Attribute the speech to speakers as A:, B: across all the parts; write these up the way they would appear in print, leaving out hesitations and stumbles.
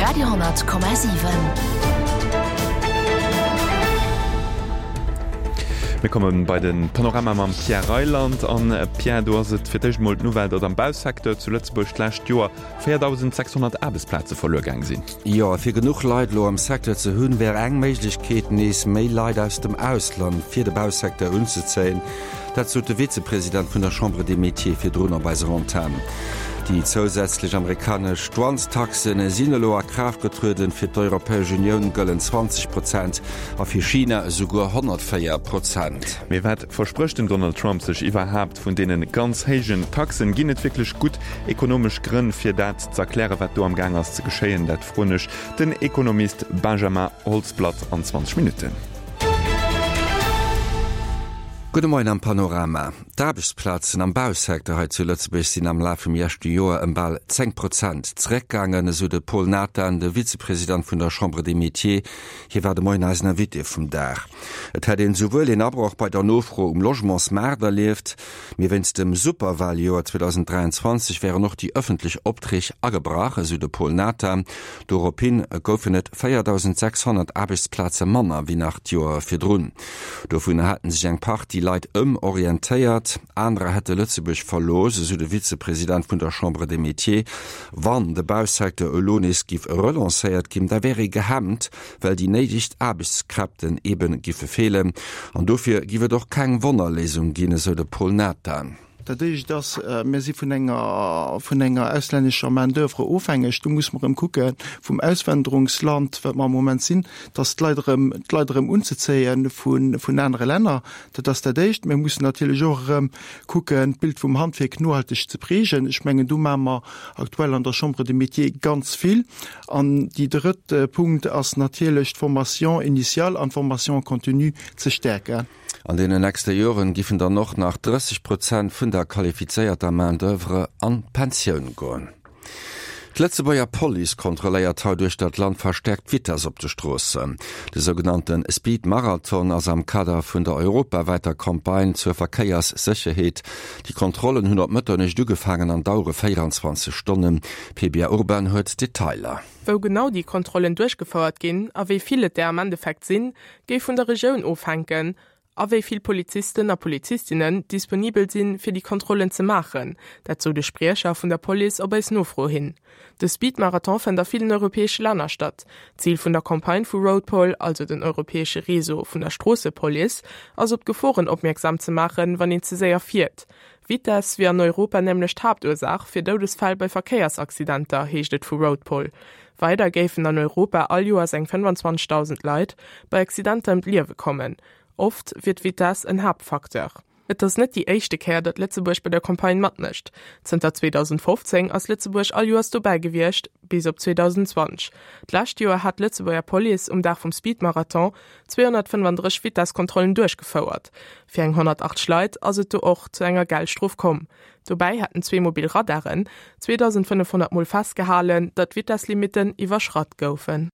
A: Radio,7.
B: Mir komme bei de Panorama mam Pierre Reyland. An Pierre, do ass et fir d'éischt emol d'Nouvelle, datt am Bausecteur zu Lëtzebuerg d'lescht Joer 4.600 Aarbechtsplaze verluer gaang sinn.
C: Jo, a fir genuch Leit elo am Secteur ze hunn, wär eng Méiglechkeet, nees méi Leit aus dem Ausland fir de Bausecteur unzezéien. Dat sot de Vizepresident vun der Chambre des Métiers virdrun op eiser Antenn. Déi zousätzlech amerikanesch Douanestaxe sinn elo a Kraaft getrueden. Fir d'Europäesch Unioun gëllen 20 Prozent a fir China esouguer 104 Prozent.
B: Mee wat versprécht den Donald Trump sech iwwerhaapt vun deene ganz héijen Taxen? Ginn et wierklech gutt ekonomesch Grënn fir dat z'erklären, wat do am Gaang ass ze geschéien? Dat froen ech den Ekonomist Benjamin Holzblatt an 20 Minutten.
C: Gudde Moien am Panorama. D'Aarbechtsplazen am Bausecteur hei zu Lëtzebuerg sinn am Laf vum leschte Joer ëm bal 10 Prozent zeréckgaangen, esou de Paul Nathan, de Vizepresident vun der Chambre des Métiers. Hie war de Moien eisen Invité vum Dag. Et hätt een esouwuel een Abroch bei der Nofro um Logementsmaart erlieft, mee wéinst dem Superwaljoer 2023 wären och déi ëffentlech Opträg agebrach, esou de Paul Nathan. Dorophin goufen et 4.600 Aarbechtsplaze manner wéi nach d'Joer virdrun. Dovunner hätten sech eng Partie Leit ëmorientéiert, anerer hätte Lëtzebuerg verlooss, esou de Vizepresident vun der Chambre des Métiers. Wann de Bausecteur elo nees giff relancéiert ginn, da wär ee gehemmt, well déi néideg Aarbechtskräften ebe giffe feelen. An dofir giff et och keng Wonnerléisung ginn, esou de Paul Nathan.
D: Dat éischt ass, mir si vun enger, vun enger auslännescher Main d'oeuvre ofhängeg. Do muss mer erëm kucke vum Auswanderungsland, wat mer am Moment sinn, dass d'Leit erëm, d'Leit erëm unzezéie vun, vun anere Länner. Dat ass dat éischt. Mir mussen natierlech och erëm kucken, d'Bild vum Handwierk nohalteg ze prägen. Ech mengen, do maache mer aktuell an der Chambre des Métiers ganz vill. An déi drëtt Punkt ass natierlech, d'Formation initiale an d'Formation continue ze stäerken.
C: An deenen nächste Joren giffen dann och nach 30 Prozent vun der qualifizéierter Main d'oeuvre an d'Pensioun goen. D'Lëtzebuerger Police kontrolléiert haut uechter d'Land verstäerkt d'Vitess op de Stroossen. De sougenannte Speed Marathon ass am Kader vun der europawäiter Campagne zur Verkéierssécherheet. Déi Kontrollen hunn op Mëtternuecht ugefaangen an dauere 24 Stonnen. D'Pebia Urban huet d'Detailer.
E: Wou genau déi Kontrollen duerchgefouert ginn a wéi vill et der am Endeffekt sinn, géif vun der Regioun ofhänken a wéi vill Polizisten a Polizistinnen disponibel sinn, fir déi Kontrollen ze maachen. Dat sou de Spriecher vun der Police op eis Nofro hin. De Speed-Marathon fënnt a villen europäesche Länner statt. Zil vun der Campagne vu Roadpol, also den europäesche Réseau vun der Stroossepolice, ass op d'Geforen opmierksam ze maachen, wann een ze séier fiert. Vitess wier an Europa nämlech d'Haaptursaach fir Doudesfäll bei Verkéiersaccidenter, heescht et vu Roadpol. Weider géifen an Europa all Joers eng 25.000 Leit bei Accidenter ëm d'Liewe kommen. Oft wier d'Vitess en Haaptfacteur. Et ass net déi éischte Kéier, datt Lëtzebuerg bei der Campagne matmécht. Zënter 2015 ass Lëtzebuerg all Joers dobäi gewiescht, bis op 2020. D'lescht Joer hat d'Lëtzebuerger Police um Dag vum Speedmarathon 235 Vitesskontrollen duerchgefouert. Fir eng 180 Leit ass et do och zu enger Geldstrof komm. Dobäi hätten zwee mobil Radaren 2.500 Mol festgehalen, datt d'Vitesslimitten iwwerschratt goufen.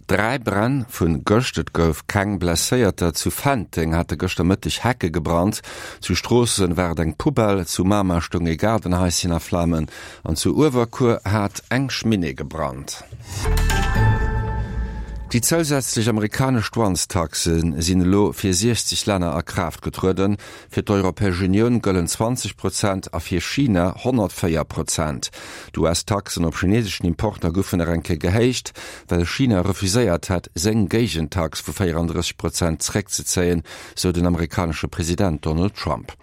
C: 3 Bränn vu gëscht, et gouf keng Blesséierter. Zu Fenteng hate gëschter Mëtteg Hecke gebrannt, zu Stroossen war et eng Poubelle, zu Mamer stoung ee Gaardenhaischen a Flamen an zu Uewerkuer hat eng Cheminée gebrannt. Déi zousätzlech amerikanesch Douanestaxe sinn elo fir 60 Länner a Kraaft getrueden. Fir d'Europäesch Unioun gëllen 20 Prozent a fir China 104 Prozent. D'US-Taxen op chineseschen Importer goufen nach eng Kéier gehéicht, well China refuséiert hat, seng Géigentax vu 34 Prozent zeréckzezéien, sou den amerikanesche President Donald Trump.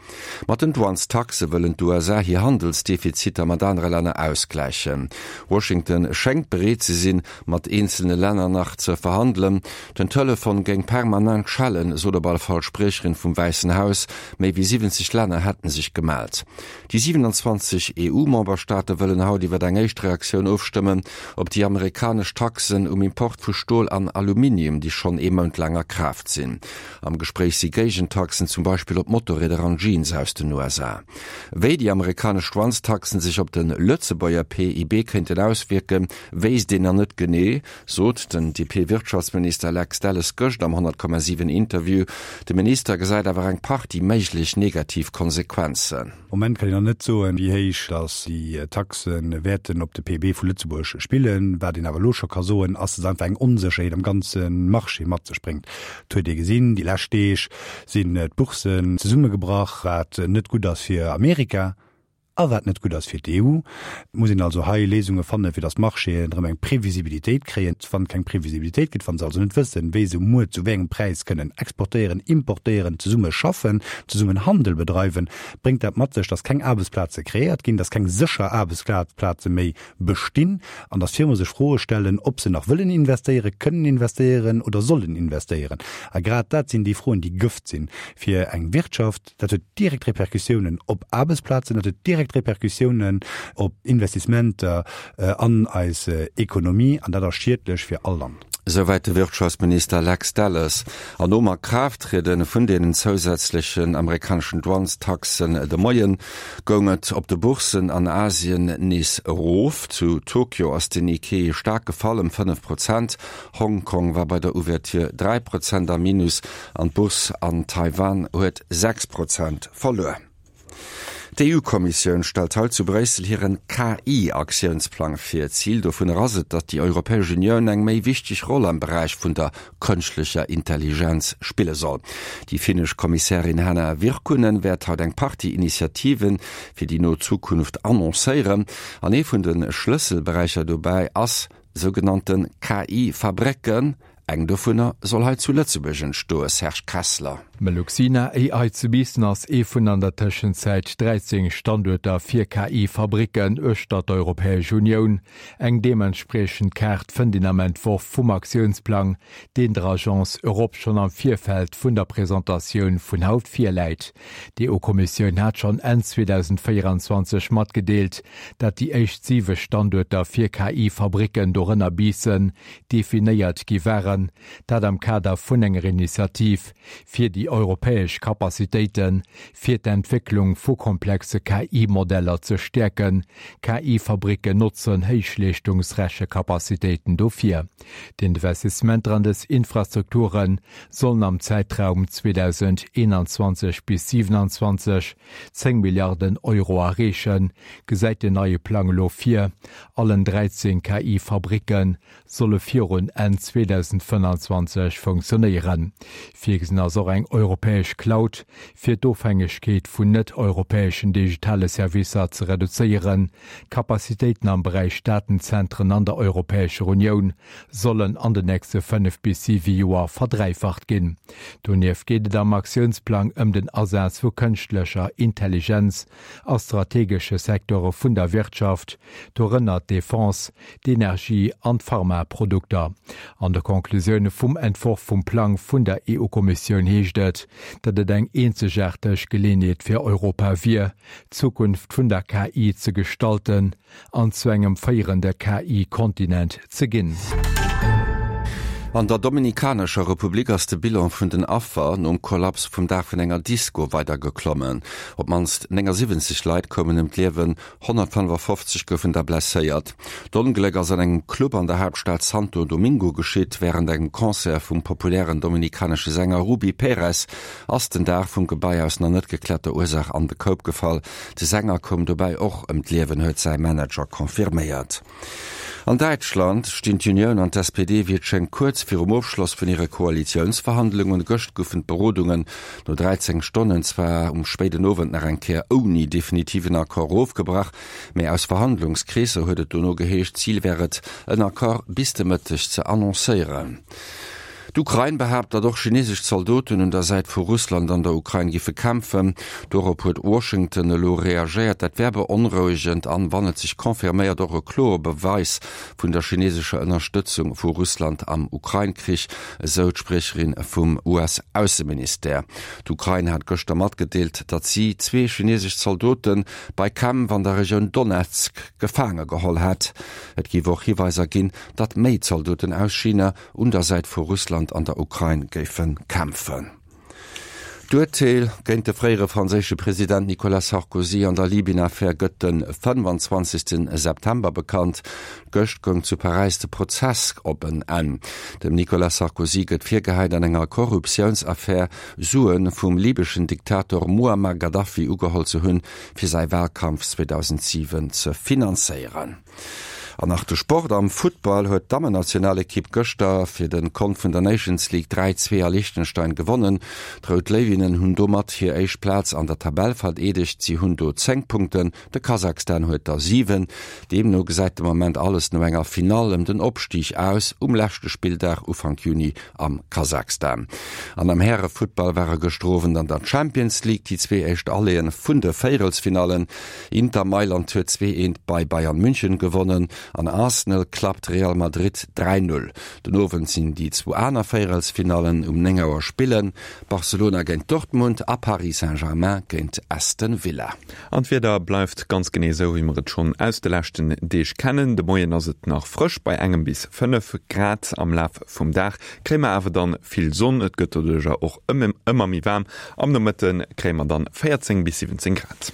C: Mat den Douanestaxe wëllen d'USA hir Handelsdefiziter mat anere Länner ausgläichen. Washington schéngt bereet ze sinn, mat eenzelne Länner nach ze verhandelen. Den Telefon géing permanent schellen, sot op alle Fall d'Spriecherin vum Wäissen Haus. Méi wéi 70 Länner hätten sech gemellt. Déi 27 EU-Memberstaate wëllen haut iwwer eng éischt Reaktioun ofstëmmen op déi amerikanesch Taxen um Import vu Stol an Aluminium, déi schonn ee Mount laang a Kraaft sinn. Am Gespréich si Géigentaxen, zum Beispill op Motorrieder an Jeans aus den USA. Wéi déi amerikanesch Schwannstaxen sech op de Lëtzebuerger PIB kéinten auswierken, wéisst een nach net genee, sot den DP. DP-Wirtschaftsminister Lex Delles gëscht am 100,7 Interview. De Minister gesäit awer eng Partie méiglech negativ Konsequenzen.
A: Moment kann een nach net soen, wéi héich datt déi Taxe wäerten op de PIB vu Lëtzebuerg spillen. Wat een awer elo scho ka soen, ass, datt einfach eng Onsécherheet am ganze Marché mat sech bréngt. Et huet ee gesinn, déi lescht Deeg sinn d'Bourssen zesummegebrach, wat net gutt ass fir Amerika. A wat net gutt ass fir d'EU. Et muss een also hei Léisunge fannen, fir datt d'Marchéen erëm eng Previsibilitéit kréien. Wann et keng Previsibilitéit gëtt, wa se also net wëssen, wéi se muer zu wéi engem Präis kënnen exportéieren, importéieren, zesumme schaffen, zesummen Handel bedreiwen, bréngt dat mat sech, datt keng Aarbechtsplaze kreéiert ginn, datt keng sécher Aarbechtsplaze méi bestinn an datt Firme sech Froe stellen, ob se nach wëllen investéieren, kënnen investéieren oder sollen investéieren. A grad dat sinn déi Froen, déi Gëft sinn fir eng Wirtschaft. Dat huet direkt Repercussiounen op Aarbechtsplazen, dat huet direkt Repercussiounen op Investissementer an eis Ekonomie an dat ass schiedlech fir all Land.
C: Esouwäit de Wirtschaftsminister Lex Delles. An nom A-Kraaft-Triede vun deenen zousätzlechen amerikaneschen Douanestaxen de Moien, goung et op de Bourssen an Asien nees erof. Zu Tokio ass den Nikkei staark gefall, ëm 5 Prozent. Hong Kong war bei der Ouverture 3 Prozent am Minus an d'Bourse an Taiwan huet 6 Prozent verluer. D'EU-Kommissioun stellt haut zu Bréissel hiren KI-Aktiounsplang vir. Zil dovunner ass et, datt déi Europäesch Unioun eng méi wichteg Roll am Beräich vun der kënschtlecher Intelligenz spille soll. Déi finnesch Kommissärin Hanna Virkkunen wäert haut eng Partie Initiative fir déi no Zukunft annoncéieren. An ee vun de Schlësselberäicher dobäi ass Sougenannte KI-Fabrécken, eng dovunner soll hei zu Lëtzebuerg entstoe, Serge Kessler.
F: Meluxina AI zu Biissen ass ee vun an der Tëschenzäit 13 Standuerter fir KI-Fabricken uechter d'Europäesch Unioun. Eng deementspriechend Kaart fënnt een am Entworf vum Aktiounsplang, deen der Agence Europe schonn am Virfeld vun der Presentatioun vun haut virläit. D'EU-Kommissioun hat schonn Enn 2024 matgedeelt, dat déi éischt siwe Standuerter fir KI-Fabricken, dorënner Biissen, definéiert gi waren, dat am Kader vun enger Initiativ fir déi europäesch Capacitéite fir d'Entwécklung vu komplexe KI-Modeller ze stäerken. KI-Fabricken notzen Héichleeschtungsrechecapacitéiten dofir. D'Investissementer an dës Infrastrukture sollen am Zäitraum 2021 bis 2027 10 Milliarden Euro erreechen, gesäit den neie Plang elo vir. Allen 13 KI-Fabricke solle virun Enn 2025 funktionéieren. Virgesinn ass och eng europäesch Cloud, fir d'Ofhängegkeet vun net-europäeschen digitale Servicer ze reduzéieren. D'Capacitéiten am Beräich Datenzentren an der Europäescher Unioun sollen an den nächste 5 bis 7 Joer verdräifacht ginn. Donieft geet et am Aktiounsplang ëm den Asaz vu kënschtlecher Intelligenz a strategesche Secteure vun der Wirtschaft, dorënner d'Defense, d'Energie an d'Pharmaprodukter. An de Conclusioune vum Entworf vum Plang vun der EU-Kommissioun heescht et, datt et eng eenzegaarteg Geleeënheet fir Europa wier, d'Zukunft vun der KI ze gestalten an zu engem féierende KI-Kontinent ze ginn.
C: An der Dominikanescher Republik ass de Bilan vun den Affer nom Kollaps vum Daach vun enger Disko weider geklommen. Op d'mannst 79 Leit koumen ëm d'Liewen, 155 goufen der blesséiert. D'Ongléck ass an engem Club an der Haaptstad Santo Domingo geschitt. Wärend engem Concert vum populären dominikanesche Sänger Rubí Pérez ass den Daach vum Gebai aus nach net gekläerter Ursaach an de Koup gefall. De Sänger koum dobäi och ëm d'Liewen, huet säi Manager confirméiert. An Däitschland stinn d'Unioun an d'SPD wéi et schéngt kuerz virum Ofschloss vun hire Koalitiounsverhandlungen. Gëscht goufen d'Berodungen no 13 Stonnen zwar um spéiden Owend nach eng Kéier ouni definitiven Accord ofgebrach, mä aus Verhandlungskreesser huet et dono geheescht, Zil wär et, en Accord bis de Mëtteg ze annoncéieren. D'Ukrain behaapt, datt och chinesesch Zaldoten un der Säit vu Russland an der Ukrain giffe kämpfen. Dorop huet Washington elo reagéiert. Dat wär beonrouegend an, wann et sech confirméiert, och e kloere Beweis vun der chinesescher Ënnerstëtzung vu Russland am Ukrain-Krich, esou d'Spriecherin vum US-Ausseministère. D'Ukrain hat gëschter matgedeelt, datt si zwee chinesesch Zaldote bei Kämpf an der Regioun Donezk gefaange geholl hätt. Et géif och Hiweiser ginn, datt méi Zaldoten aus China un der Säit vu Russland an der Ukrain géife kämpfen. D'Urteel géint de fréiere franséische President Nicolas Sarkozy an der Libyen-Affär gëtt de 25 September bekannt. Gëscht goung zu Paräis de Prozess op en Enn. Dem Nicolas Sarkozy gëtt virgehäit, an enger Korruptiounsaffär Sue vum libeschen Diktator Muammar Gaddafi ugeholl ze hunn, fir säi Walkampf 2007 ze finanzéieren. An nach de Sport, Am Futtball huet d'Dammennationalekipp gëschter fir de Kont vun der Nations League 3, 2 a Liechtenstein gewonnen. D'Rout Léiwinnen hunn domat hir éischt Plaz an der Tabell verdeedegt. Si hunn do 10 Punkten, de Kasachstan huet der 7. Deemno gesäit de Moment alles no enger Finall ëm den Opstig aus um leschte Spilldag Ufank Juni am Kasachstan. An am Härefuttball ware gëschter Owend an der Champions League déi zwee éischt Alleeën vun de Véierelsfinallen. Inter Mailand huet 2, 1 bei Bayern München gewonnen an Arsenal klappt Real Madrid 3, 0. Den Owend sinn déi zwou aner Véierelsfinallen. Um 9 Auer spillen Barcelona géint Dortmund a Paris Saint-Germain géint Aston Villa.
B: An d'Wieder bleift ganz genee esou, wéi mer et schonn aus de leschten Deeg kennen. De Moien ass et nach frësch bei engem bis 5 Grad. Am Laf vum Dag kréie mer awer dann vill Sonn, et gëtt doduercher och ëmmer méi waarm. Am Nomëtte kréie mer dann 14 bis 17 Grad.